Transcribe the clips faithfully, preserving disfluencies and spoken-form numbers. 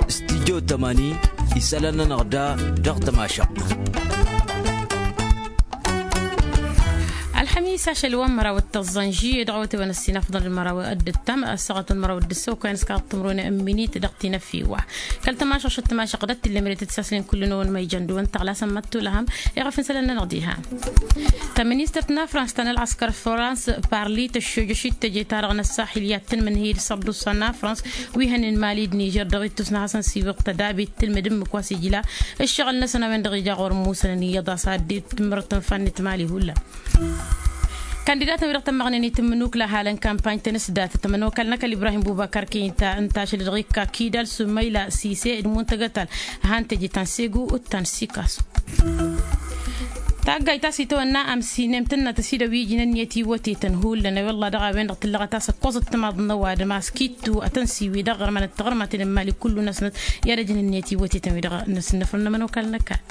Studyo tămani isălan-nănăɣ da dăɣ-tămašăɣt. Ălxămis ašăl wa n-măraw d-tăẓẓan žiyye dăɣ-awătewăn ăssinafḍăn d-măraw d-ǝttam ăssaɣăt wa n-măraw d-ǝssăw kăyăn s-kaɣ tǝmrăwăn n-minit dăɣ-tinăffiwa. Kăl-tămašăɣšăt tămašăɣ dăɣ-t-illa măre tǝtsaslin kull-năwăn ma ijăn dăwăn tăɣlasăn măttulăhăm. Iɣăf n-isălan-nănăɣ diha. Tăministărt n-afrans ta n-ălɣăskăr frans parli tăššojăšit teje-ta-dăɣ n-ăssaxil i-ad-tǝnmǝnhǝy d-sărdusa n-afrans wi hănen mali d-nižer dăɣ-ittus n-hasăn-siwǝḍ tădabit tǝlmǝd ǝmmǝk wa s-ijla ǝššăɣǝl-năsăn a-wen-dăɣ ija ɣur-musănăn iyyăḍ a-s ad-dd-timǝrăt n-fannit mali hullan. Kandidatăn-wi-dăɣ tămmăɣnen itǝmmǝnukla halăn kampany-tăn s-datăt ămănokal n-ăkall ibrahim bubakar kăy-inta ǝnta ašăl-dăɣ ikka kidal sumăyla sise d-muntăgătal. Han teje ta n-segu d-ta n-sikasu. Taggayt ta s-itawănna amsinem tǝnnăt ăsidăw ijin ǝnniyăt iwătetăn hullan a-wa ǝlla dăɣ-a-wen-dăɣ tǝllăɣăt a-s ăkkoẓăt timaḍ n-ăwadǝm a-s kittu ad-tăn-siwi dăɣ-ɣărmanăt tiɣărmaten n-imali kullu-năsnăt. I-ad-ăjǝn ǝnniyăt iwătetăn-wi-dăɣ n-asǝnnăfrăn n-ămănokal n-ăkall.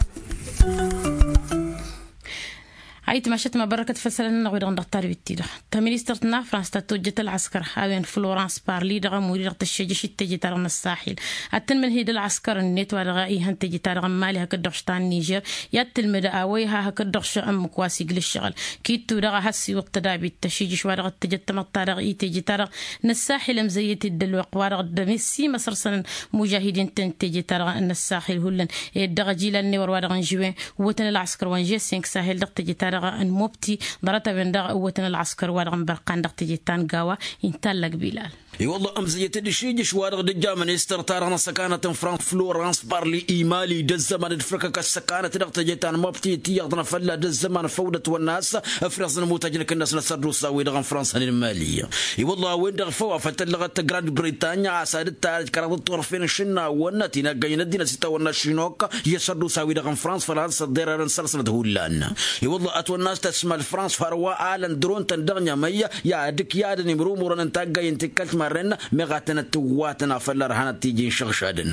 Ayǝtmašăt ma bărrăkăt făll-isălan-nănăɣ wi-dăɣ n-dăɣ-tadwit-ti-dăɣ. Tăministărt n-afrans ta tojjăt ălɣăskăr a-wen florans parli dăɣ-ămuri-dăɣ tăššejăšit teje-ta-dăɣ n-ăssaxil ad-tǝnmǝnhǝy d-ălɣăskăr-net wa dăɣ-ihăn teje-ta-dăɣ n-mali hakd-dăɣ š-ta n-nižer. I-ad-tǝlmǝd a-wa iha hakd-dăɣ š-ǝmmǝk wa s-igla ǝššăɣǝl. Kittu daɣ a has-iwǝḍ tădabit tăšijǝš wa dăɣ-t tăjăt tamăḍt-ta-dăɣ i-teje-ta-dăɣ n-ăssaxil ămzăyyăt-dd ălwăqq wa dăɣ-dd-ămessi măsărsănăn. Mužahidin-tăn teje-ta-dăɣ n-ăssaxil hullan ed dăɣ-ajilal n-ewăr wa dăɣ-n žǝwen. Wătăn ălɣăskăr wa n-žessenk sahel dăɣ-teje-ta-dăɣ n-mobti ḍarăt-a-wen-dăɣ wătăn ălɣăskăr wa dăɣ-n bărqan dăɣ-teje-ta n-gawa. Inta allăg bilal. I-wălla ămzăyyăt-dd išijǝš wa dăɣ-dd-ǝjja ministăr-ta-dăɣ n-ăssăkanăt n-frans florans parli imali d-ăzzăman d-fǝrkăk ăssăkanăt dăɣ-teje ta n-mobti tiyyăḍ n-afălla d-ăzzăman făw d-ătwănna a-s ǝfrăẓ n-imutăjnăk-năsnăt sărdusa-wi-dăɣ n-frans ănimali. I-wălla a-wen-dăɣ făw a făl tăllăɣăt grand britanya a-s ad-dd-tarăj kăraḍăt turfen n-išǝnnawăn ti n-aggăyăn ăddinăt s-itawănna šinok i-sărdusa-wi-dăɣ n-frans făl ad-săḍḍerărăn săr-sănăt hullan. I-wălla ătwănna a-s tăsma d-frans hărwa alăn dăr-o n-tăn dăɣ-nyămăy i-ad-ǝkyadăn imrumurăn n-taggayăn tikkălt marren meɣ ad-tănăt-tǝwwatăn afăl ărhanăt tiji n-išăɣšadăn.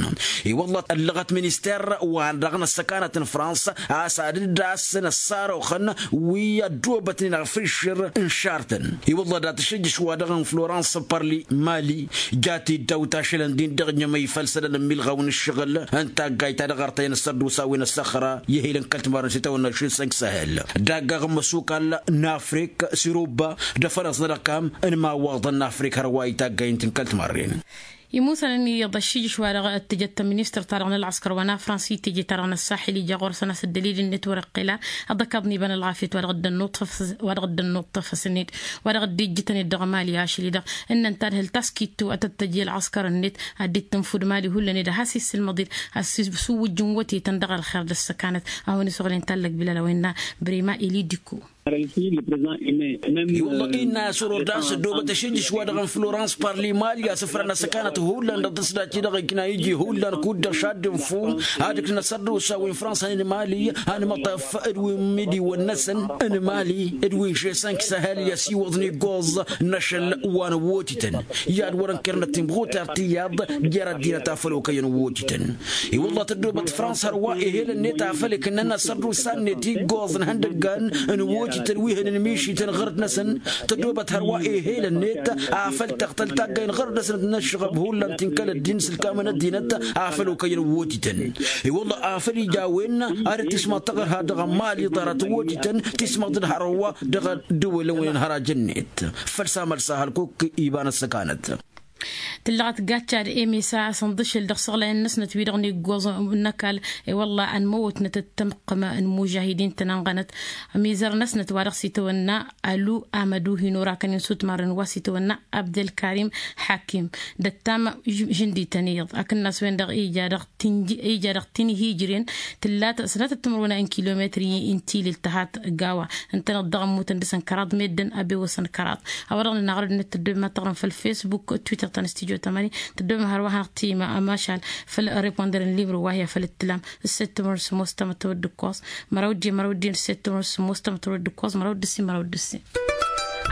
I-wălla ăllăɣăt minister wa dăɣ-năssăkanăt n-frans a-s ad-dd-asăn ăssaroxăn wi ăddoobătnen ăɣfǝššǝr n-šartăn. I-wălla dat-ašǝjjǝš wa dăɣ-n florans părli mali jat-dd awt ašălăn din-dăɣ nyămăy făll-isălan n-imilɣaw n-ǝššăɣǝl n-taggayt ta dăɣ-artăyăn s-ăddusa wi n-ăssăxra i-ehil n-kăl-timarăn s-itawănna šin sănk săhel. Daggaɣ n-imăsukal n-afrik s-iruba d-afănaẓ n-ălăkam n-imawaḍăn n-afrik hărwa i-taggayt n-kăl-timarren. Imusăn ănn iyyăḍ ăššijǝš wa dăɣ-tǝjăt tăministăr-ta-dăɣ n-ălɣăskăr wa n-afrans i-teje-ta-dăɣ n-ăssaxil ija ɣur-săn a-s dd-ălilăn-net wăr-iqqel a ăḍăkaḍ n-iba n-ălɣafyăt wa dăɣ-dd-ănnuṭṭăfăs-net wa dăɣ-dd-ijjǝtăn-dd dăɣ-mali ašăl-i-dăɣ. Ǝnnăn tadhǝlt a-s kittu ad-tăt-tăj i-ălɣăskăr-net ad-dd-tǝnfud mali hullan-ed ad-has-issǝlmăḍ-dd ad-s-iwǝjjǝn wătetăn dăɣ-ălxer d-ăssăkanăt. A-wen-isuɣǝlen tallăg bilal a-wen n-brima ili dikko. I-wălla innă a-s orăr daɣ s-ăddoobăt ašǝjjǝš wa dăɣ-n florans parli mali a-s ǝfrăn asăkanăt hullan dăɣ-tǝsdat-i-dăɣ ikna iji hullan kud-dăɣ šadd-infǝw ad-ǝknăn sărdusa wi n-frans a-nin mali. Anmăṭṭaf d-wi n-imidiwăn-năsăn n-mali d-wi n-žesănk săhel i-ăsiwăḍ n-iggoẓ n-ašăl wa n-ăwwotităn i-ad-wăr-ănkărnăt timɣutar tiyyăḍ jer-ăddinăt afăl okăyăn ăwwotităn. I-wălla tăddoobăt frans hărwa ehel-net afăl ikǝnnăn asărdusa-net iggoẓ n-ihăndăggan n-ăwwotităn wi hănen mišităn ɣărăt-năsăn. Tăddoobăt hărwa ehel-net afăl tăɣtăl taggay n-ɣărăt-năsăn d-inăššăɣăb hullan ti n-kăl-ăddin s-ǝlkamăn ăddinăt afăl okăyăn ăwwotităn. I-wălla afăl ija a-wen ad-dd-tismaḍ taɣărha dăɣ-mali ḍarăt ăwwotităn tismaḍ-dd hărwa dăɣ-ăddǝwǝlăn wi n-hăraj-net. Făll-samăl sahăl kuk iba n-ăssăkanăt. Tǝllăɣăt gaččad emesa a-s ănḍǝšǝl dăɣ-isăɣlayăn-năsnăt wi-dăɣ n-iggoẓ n-ăkall. I-wălla ănmăwătnăt d-tamǝqqǝma n-imužahidin-tăn ănɣănăt. Ămizăr-năsnăt wa dăɣ-s itawănna ălu amădu hin-orakăn insutmarăn wa s-itawănna abdălkarim hakim d-ăttam žǝndităn iyyăḍ akǝnnas-wen-dăɣ ija dăɣ-tinhijren tǝllat sănatăt timǝrwen n-kilometri n-tilǝlt tăhat gawa. Ǝntăneḍ dăɣ-ămmutăn dăɣ-săn kăraḍ meddǝn ăbewăsăn kăraḍ. A-wa dăɣ-nănăɣ rădd-net tăddobem ad-taɣrǝm făll-fesbuk twitter ta n-studyo tămani tăddobem hărwa hanăɣ-t-ima ămašal făll-reponder n-libru wa hi-afăl ǝttǝlam. Ǝsset timǝrwen sǝmmos tamăttăwăt d-ǝkkoẓ măraw d-ijjǝn măraw d-ijjǝn ǝsset timǝrwen sǝmmos tamăttăwăt d-ǝkkoẓ măraw d-ǝssin măraw d-ǝssin.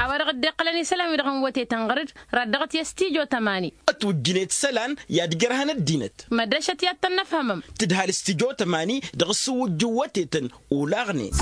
A-wa dăɣ-dd-iqqălăn isălan-wi-dăɣ n-wătetăn ɣăr-dd raddăɣăt i-studyo tămani. Ătwǝjjǝnet isălan i-ad-ǝjrăhăn ăddinăt. Măddăšăt i-ad-tăn-năfhămăm. Tǝdhal studyo tămani dăɣ-s ǝwwǝjjǝw wătetăn olaɣnen.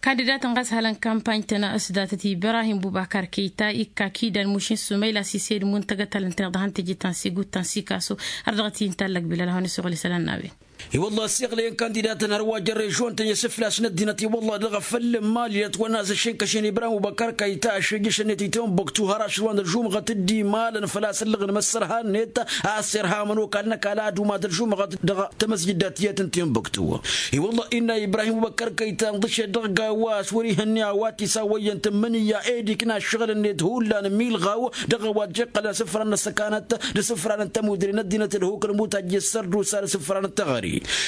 Kandidatăn ɣas halăn kampany-tăn s-datăt ibrahim bubakar kăyta ikka kidan mušin sumayla sise d-muntăgăt alăn-tăn iḍa han teje ta n-sigut ta n-sikaso. Ar dăɣ-t-i n-tallăg bilal hawăn-isăɣul isălan n-a-wen. I-wălla ăssiɣlăyăn kandidatăn hărwa jăr režon-tăn i-asǝflas n-ăddinăt i-wălla dăɣ-afăl n-imali ătwănna s-ašin kăšin ibrahim bubakar kăyta ašrǝjjăšăn-net ităwăn băktu har ašǝlwan d-ălžumăɣăt d-imalăn făl-a-s ăllăɣ n-imăssărha-net. A-s irha amănokal n-ăkall ad-umat ălžumăɣăt dăɣ-tamăzjǝddat tiyyăt n-tinbăktu. I-wălla innă ibrahim bubăkkăr kăyta ǝnḍǝšet dăɣ-gawa s-wăr-ihănni a-wa t-isawăyyăn tǝmmǝnǝyya ed ikna ǝššăɣǝl-net hullan milɣaw dăɣ-a-wa dd-iqqălăn asǝfran n-ăssăkanăt d-asǝfran n-tămudre n-ăddinăt d-hukǝl mutăjj s-sărdusa d-asǝfran n-teɣăre.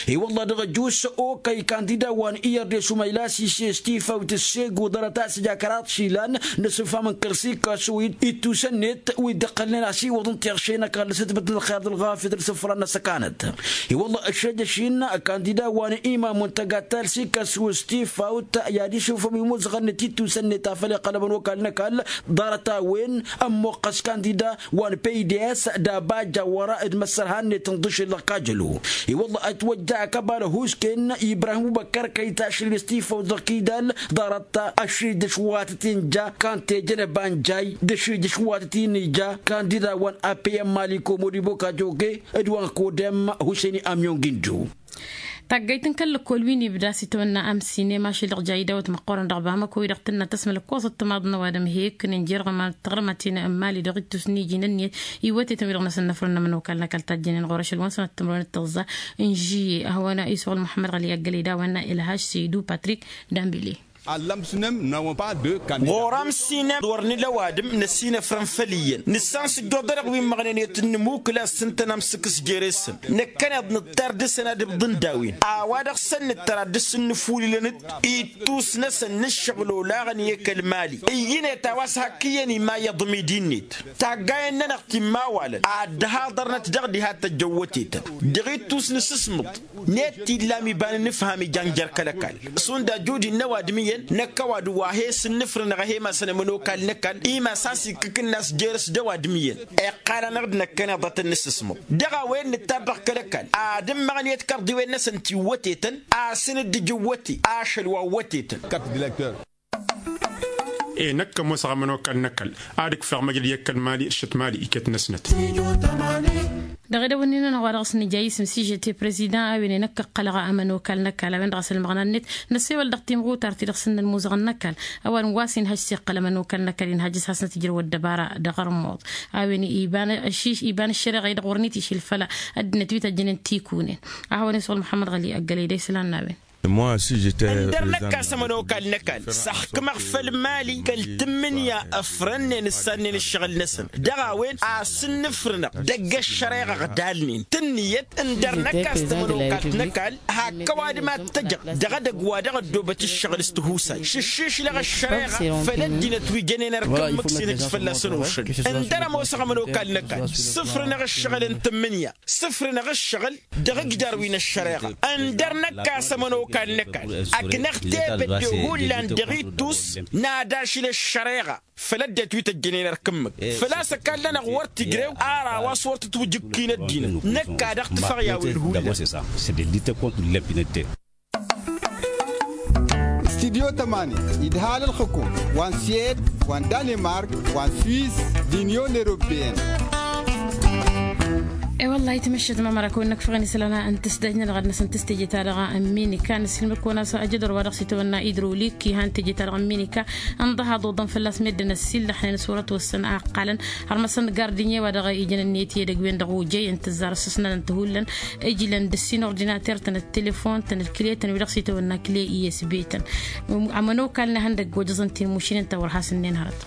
I-wălla dăɣ-ăjus okăy kandida wa n-iyyăr d-esumăyla s-ises tifawt ǝssegu ḍarăt a-s ija kăraḍ išilan n-asǝfam n-kăl-sikasu ittusăn-net wi dd-iqqălnen asiwăḍ n-tiɣše n-ăkall s-ǝtbǝt n-ălxer d-ălɣafyăt d-asǝfran n-ăssăkanăt. I-wălla ăššăjăš-in kandida wa n-imamu n-tăgatal s-ikăsu s-tifawt i-ad-išufăm imuzăɣăn-net ittusăn-net a făl iqqăl ămănokal n-ăkall ḍarăt-a-wen ămmoqqăs kandida wa n-paydes d-abajja wăra d-imăssărha-net ǝnḍǝšel dăɣ-kajălo. I-wălla ătwăjja akăbal ăhuusken ibrahim ubăkkăr kăyta ašrǝj s-tifawt dăɣ-kidal ḍarăt ăšrǝj d-ăšwatăt-in ja kan tejănăba n-jay d-ăšrǝj d-ăšwatăt-in ja kandida wa n-apeyăm maliko modibo kajoge d-wa n-kodem huseni amyon ginjo. Taggayt n-kăl-lăkkol wi n-ibda s-itawănna amsinem ašăl dăɣ-jaydaw t-măqqoorăn dăɣ-bamăko-wi-dăɣ tǝnna tăsmăl ǝkkoẓăt timaḍ n-ăwadǝm he-ǝkkǝnen jer-ɣăman taɣrǝmăt-in n-imali dăɣ-ittus n-iji n-ǝnniyăt iwătetăn-wi-dăɣ n-asǝnnăfrăn n-ămănokal n-ăkall tajjănen ɣur-ašăl wa n-sănăt timrăwen d-tăẓẓa n-žiyye. Ahăwăn isuɣǝl muḥămmăd ɣăli ăggălăy d-a-wa innă ilhaš săydu patrik. Dambile. Ɣur-amsinem wăr nǝla ăwadǝm năsinăfrăn făll-iyyăn nǝssan s-ǝjjuḍ-dăɣ wi n-măɣnen i-tǝnnǝmukǝl a-s ǝntăn amsǝkkǝs jere-săn. Năkkăneḍ nǝttar dăɣ-săn ad-ǝbḍǝn d-a-wen a-wa-dăɣ săn nǝttăr ad-dăɣ-s ǝnnǝfulǝlăn-dd ittus-năsăn n-ǝššăɣǝl olaɣăn i-kăl-mali ǝyyǝnet a-wa s-hak iyyăn imayyăḍ midi-net. Taggayen-nănăɣ timmawalăn ad-dd-haḍărnăt dăɣ-diha tăjjăwwătetăn dăɣ-ittus n-asǝsmǝḍ. Net t-illa ămiban n-ifham ijan jer-kăl-ăkall šund ajud-in n-ăwadǝm iyyăn năkk ăwadǝm wa he-sǝnnǝfrǝnăɣ a he-imasăn ămănokal n-ăkall imas a-s ikkǝkǝnna a-s jer-s d-ăwadǝm iyyăn. Iqqal-anăɣ-dd năkkăneḍ ad-tăn-nǝssǝsmăḍ dăɣ-a-wen nǝttabbăɣ kăl-ăkall ad-ǝmmăɣniyăt kărḍiwen-năsăn tiwwătetăn. Asǝn-dd ija iwwăte ašăl wa ǝwwătetăn. Enăkk ămoosăɣ ămănokal n-ăkall ad-ǝkfeɣ măjrăd i-ăkall mali d-šăt mali iket-năsnăt. Dăɣ-edăwănnin-nănăɣ wa dăɣ-s nǝja isǝm s-ižete prezidăn a-wen enăkk ǝqqălăɣ ămănokal n-ăkall a-wen-dăɣ a-s ălmăɣna-net. Năssewăl dăɣ-timɣutar-ti-dăɣ s-ǝnnăn imuzăɣăn n-ăkall a-wa n-wa s-inhăj s-iqqăl ămănokal n-ăkall inhăj s-hasnăt ijrăw ăddăbara dăɣ-ărmuḍ. A-wen iba n-ăššăreɣa-i-dăɣ wăr nit-išil făll-ăddinăt wi tăjjănen tikunen. A hawăn-isɣul muḥămmăd ɣăli ăggălăy d-islan n-a-wen. Ǝndăr năkk a-s ămănokal n-ăkall s-ăxkǝmăɣ făll-mali kăl-tǝmmǝnǝya ăfrănnen ǝssannen ǝššăɣǝl-năsăn dăɣ-a-wen a-s ǝnnǝfrǝnăɣ dăgg-ăššăreɣa ăɣdalnen tǝnniyăt. Ǝndăr năkk a-s tămănokalt n-ăkall hak ăwadǝm ad-tăjăɣ dăɣ-edăgg wa dăɣ-ăddoobăt ǝššăɣǝl s-tihusay šǝššišlăɣ ăššăreɣa făll-ăddinăt wi jănen ărkǝmmǝk s-inhǝj fălla-săn ošăl. Ǝndăr ămoosăɣ ămănokal n-ăkall sǝfrǝnăɣ ǝššăɣǝl n-tǝmmǝnǝya sǝfrǝnăɣ ǝššăɣǝl dăɣ-ǝjdar wi n-ăššăreɣa. Ǝndăr năkk a-s ămănokal n-ăkall ăknăɣ tebădde hullan dăɣ-ittus n-ad-ašǝl ăššăreɣa făll-ăddinăt wi tăjjănen ărkǝmmǝk făl-a-s ăkall-nănăɣ wăr t-ijrew. Ar a-wa s-wăr tǝtwǝjǝkkin ăddinăt năkk a dăɣ-tǝfăɣ i-a-wen hullan. Studyo tămani idhal ǝlxǝkum wa n-siyed wa n-danimark wa n-swiss d-inyon europeyăn. E-wăllah itmăššăt mamăra kăwăn-năkfăɣăn isălan n-tǝsdajnăt dăɣ-ad-năsăn tǝstejăt-ta-dăɣ n-minika nǝssilmăd-kăwăn a-s ajădor wa dăɣ-s itwănna idrolik ihan tejăt-ta-dăɣ n-minika. Ǝnḍăhaḍ oḍăn fălla-s meddǝn ăssillăxnen s-wăr-ătwăssăn a ǝqqalăn hărmăsăn gardinye wa dăɣ-ijăn ǝnniyăt i-edăgg-wen-dăɣ ojăyăn tǝzzar s-ǝsnănăn tǝhullăn. Ǝjlăn d-ǝssin ordinater-tăn d-telefon-tăn d-kǝletăn wi-dăɣ s-itwănna kǝle isb-tăn. Ămănokal n-ehăndăgg ojăẓăn-t-in mušǝnen ta wăr has-ǝnnen hărăt.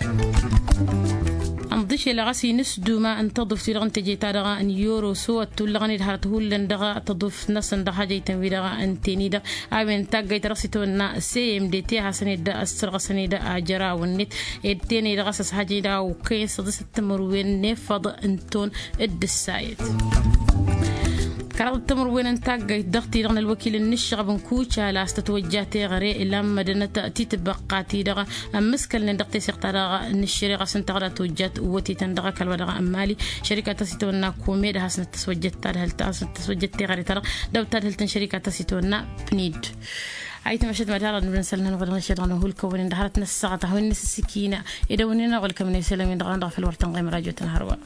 Ănḍǝšel a ɣas inǝsduma n-tăḍuft-wi-dăɣ n-teje-ta-dăɣ n-yoroso ăttullăɣăn-dd hărăt hullan dăɣ-tăḍuft-năsăn dăɣ-hajăytăn-wi-dăɣ ǝnten-i-dăɣ. A-wen taggayt ta dăɣ-s itwănna cmdt hasăn-dd ăssărɣăsăn-dd ajăraw-net. Ed tenăy-dăɣ a-s ăshajăy-dd a okăyăn săḍisăt timǝrwen n-efăḍ n-ton d-ǝssayăt. Kăraḍ d-timǝrwen n-taggayt dăɣ-ti-dăɣ n-ălwăkil n-ǝššăɣăb n-kucal a-s tătwăjja teɣăre lamădănăt titbăqqa-ti-dăɣ ămmǝskălnen dăɣ-teseɣt-ta-dăɣ n-ǝššăreɣa s-ǝnta dăɣ-dd-tojjat wătetăn dăɣ-ăkall wa dăɣ-n mali. Šărika ta s-itwănna kumed a hasnăt tăswăjjăt tadhǝlt a hasnăt tăswăjjăt teɣăre-ta-dăɣ dăw-tadhǝlt n-šărika ta s-itwănna pnid. Ayǝtmăšăt mad-hărăt n-ǝbdăn isălan-nănăɣ dăɣ-năšăt dăɣ-năhulkăwăn-in dăɣ-hărăt n-ăssaɣăt a hawăn-năsǝsikina. Ed a-wen-in-dăɣ wăl kămăn isălan-in-dăɣ dăɣ-făl wăr tănɣem rajotăn hărwa.